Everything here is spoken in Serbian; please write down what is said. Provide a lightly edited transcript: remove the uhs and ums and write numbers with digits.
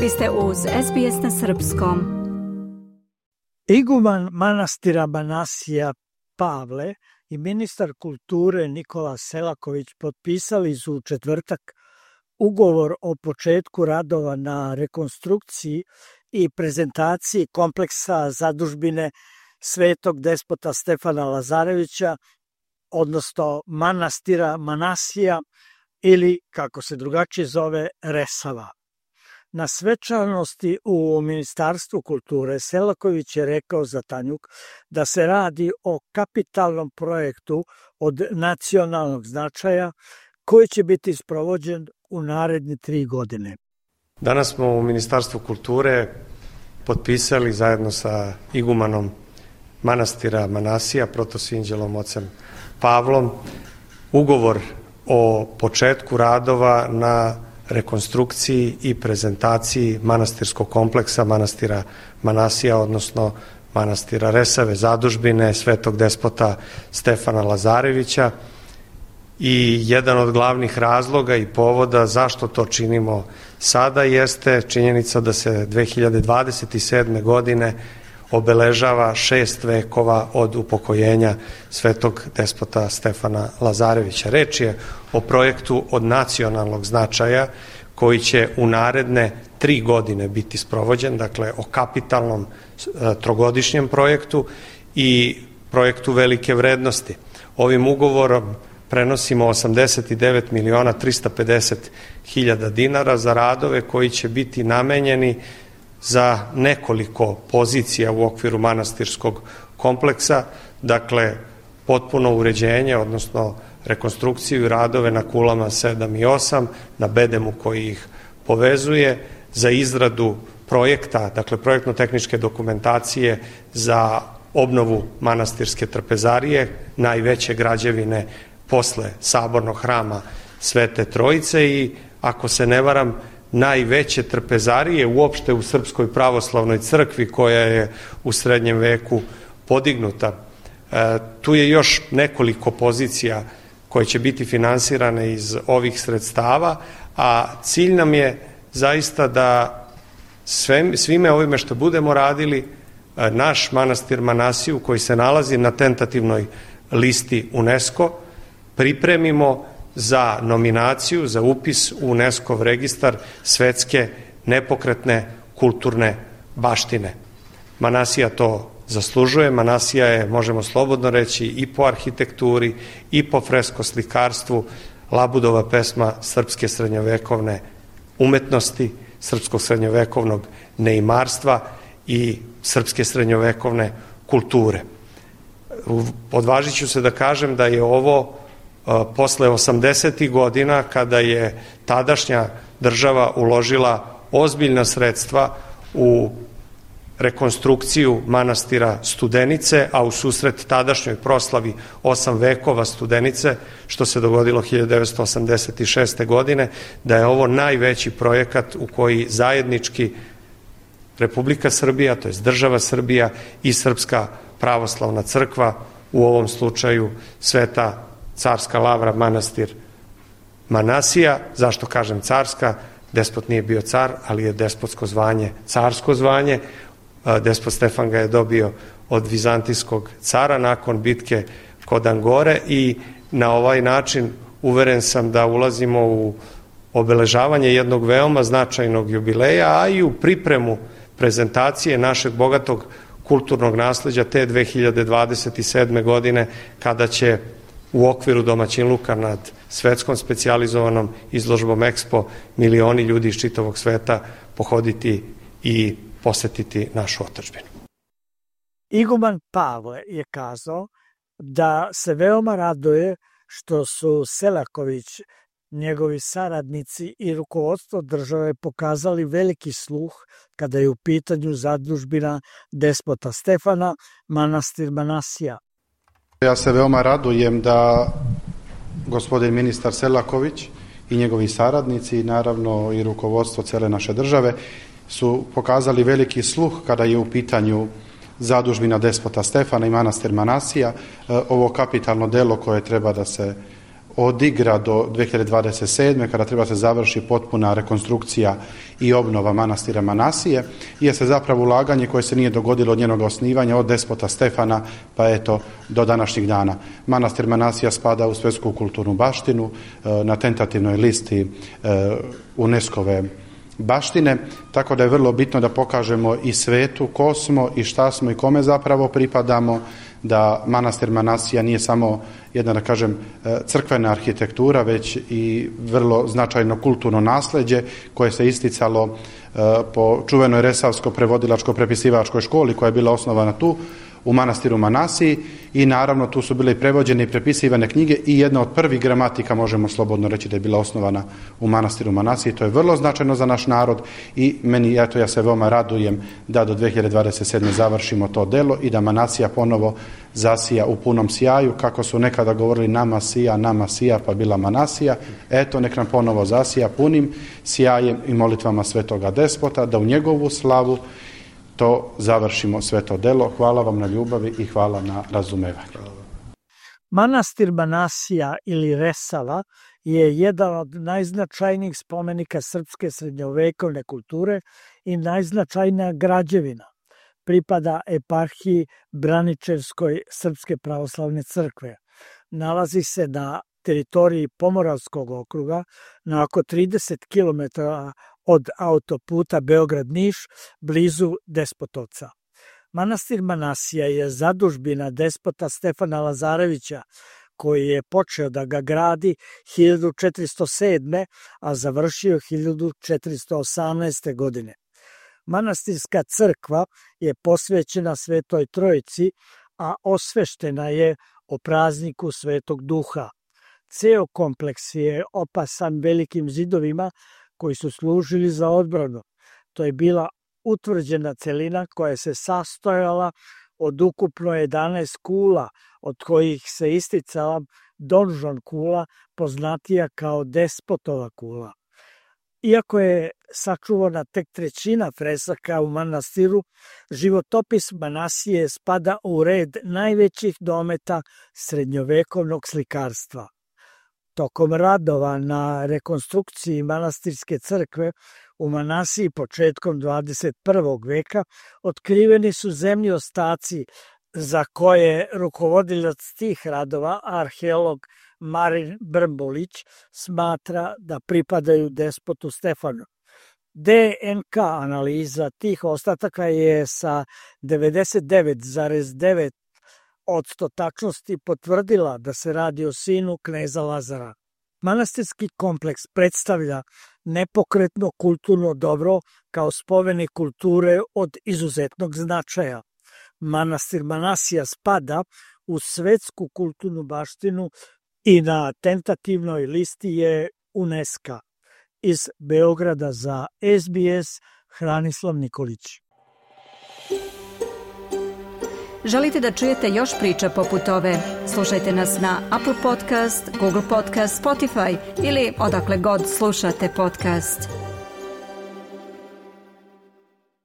Vi ste uz SBS na srpskom. Iguman manastira Manasija Pavle i ministar kulture Nikola Selaković potpisali su u četvrtak ugovor o početku radova na rekonstrukciji i prezentaciji kompleksa zadužbine Svetog despota Stefana Lazarevića, odnosno manastira Manasija ili, kako se drugačije zove, Resava. Na svečanosti u Ministarstvu kulture Selaković je rekao za Tanjuk da se radi o kapitalnom projektu od nacionalnog značaja koji će biti sprovođen u naredne 3 godine. Danas smo u Ministarstvu kulture potpisali zajedno sa igumanom manastira Manasija, protosinđelom ocem Pavlom, ugovor o početku radova na rekonstrukciji i prezentaciji manastirskog kompleksa manastira Manasija, odnosno manastira Resave, zadužbine Svetog despota Stefana Lazarevića. I jedan od glavnih razloga i povoda zašto to činimo sada jeste činjenica da se 2027. godine obeležava 6 vekova od upokojenja Svetog despota Stefana Lazarevića. Reč je o projektu od nacionalnog značaja koji će u naredne 3 godine biti sprovođen, dakle o kapitalnom trogodišnjem projektu i projektu velike vrednosti. Ovim ugovorom prenosimo 89.350.000 dinara za radove koji će biti namenjeni za nekoliko pozicija u okviru manastirskog kompleksa, dakle potpuno uređenje, odnosno rekonstrukciju i radove na kulama 7 i 8, na bedemu koji ih povezuje, za izradu projekta, dakle projektno-tehničke dokumentacije za obnovu manastirske trpezarije, najveće građevine posle sabornog hrama Svete Trojice i, ako se ne varam, najveće trpezarije uopšte u Srpskoj pravoslavnoj crkvi koja je u srednjem veku podignuta. Tu je još nekoliko pozicija koje će biti finansirane iz ovih sredstava, a cilj nam je zaista da svime ovime što budemo radili naš manastir Manasiju, koji se nalazi na tentativnoj listi UNESCO, pripremimo za nominaciju, za upis u UNESCO registar svetske nepokretne kulturne baštine. Manasija to zaslužuje. Manasija je, možemo slobodno reći, i po arhitekturi i po fresko-slikarstvu Labudova pesma srpske srednjovekovne umetnosti, srpskog srednjovekovnog neimarstva i srpske srednjovekovne kulture. Odvažit ću se da kažem da je ovo posle 80. godina, kada je tadašnja država uložila ozbiljna sredstva u rekonstrukciju manastira Studenice, a u susret tadašnjoj proslavi 8 vekova Studenice, što se dogodilo 1986. godine, da je ovo najveći projekat u koji zajednički Republika Srbija, to je država Srbija i Srpska pravoslavna crkva, u ovom slučaju Sveta carska lavra manastir Manasija. Zašto kažem carska? Despot nije bio car, ali je despotsko zvanje carsko zvanje. Despot Stefan ga je dobio od vizantijskog cara nakon bitke kod Angore i na ovaj način uveren sam da ulazimo u obeležavanje jednog veoma značajnog jubileja, a i u pripremu prezentacije našeg bogatog kulturnog nasleđa te 2027. godine, kada će u okviru domaćinluka nad svetskom specijalizovanom izložbom Expo milioni ljudi iz čitavog sveta pohoditi i posetiti našu otadžbinu. Iguman Pavle je kazao da se veoma raduje što su Selaković, njegovi saradnici i rukovodstvo države pokazali veliki sluh kada je u pitanju zadužbina despota Stefana, manastir Manasija. Ja se veoma radujem da gospodin ministar Selaković i njegovi saradnici i naravno i rukovodstvo cele naše države su pokazali veliki sluh kada je u pitanju zadužbina despota Stefana i manastir Manasija, ovo kapitalno delo koje treba da se odigra do 2027. kada treba se završi potpuna rekonstrukcija i obnova manastira Manasije, jeste zapravo ulaganje koje se nije dogodilo od njenog osnivanja, od despota Stefana pa eto do današnjih dana. Manastir Manasija spada u svjetsku kulturnu baštinu na tentativnoj listi UNESCO-ve baštine, tako da je vrlo bitno da pokažemo i svetu ko smo i šta smo i kome zapravo pripadamo, da manastir Manasija nije samo jedna, da kažem, crkvena arhitektura, već i vrlo značajno kulturno nasleđe koje se isticalo po čuvenoj Resavsko-prevodilačko-prepisivačkoj školi koja je bila osnovana tu u manastiru Manasiji i naravno tu su bile i prevođene i prepisivane knjige i jedna od prvih gramatika možemo slobodno reći da je bila osnovana u manastiru Manasiji. To je vrlo značajno za naš narod i meni, eto, ja se veoma radujem da do 2027. završimo to delo i da Manasija ponovo zasija u punom sjaju, kako su nekada govorili nama sija, pa bila Manasija. Eto, nek nam ponovo zasija punim sjajem i molitvama svetoga despota, da u njegovu slavu to završimo sve to delo. Hvala vam na ljubavi i hvala na razumevanju. Manastir Manasija ili Resava je jedan od najznačajnijih spomenika srpske srednjovekovne kulture i najznačajnija građevina. Pripada eparhiji Braničevskoj Srpske pravoslavne crkve. Nalazi se na teritoriji Pomoravskog okruga na oko 30 km od autoputa Beograd-Niš, blizu Despotovca. Manastir Manasija je zadužbina despota Stefana Lazarevića, koji je počeo da ga gradi 1407. a završio 1418. godine. Manastirska crkva je posvećena Svetoj Trojici, a osveštena je o prazniku Svetog Duha. Ceo kompleks je opasan velikim zidovima koji su služili za odbranu. To je bila utvrđena celina koja se sastojala od ukupno 11 kula, od kojih se isticala donžon kula, poznatija kao Despotova kula. Iako je sačuvana tek trećina fresaka u manastiru, životopis Manasije spada u red najvećih dometa srednjovekovnog slikarstva. Tokom radova na rekonstrukciji manastirske crkve u Manasiji početkom 21. veka otkriveni su zemlji ostaci za koje rukovodilac tih radova, arheolog Marin Brmbolić, smatra da pripadaju despotu Stefanu. DNK analiza tih ostataka je sa 99,9% tačnosti potvrdila da se radi o sinu kneza Lazara. Manastirski kompleks predstavlja nepokretno kulturno dobro kao spomenik kulture od izuzetnog značaja. Manastir Manasija spada u svetsku kulturnu baštinu i na tentativnoj listi je UNESCO. Iz Beograda za SBS Hranislav Nikolić. Želite da čujete još priča poput ove? Slušajte nas na Apple Podcast, Google Podcast, Spotify ili odakle god slušate podcast.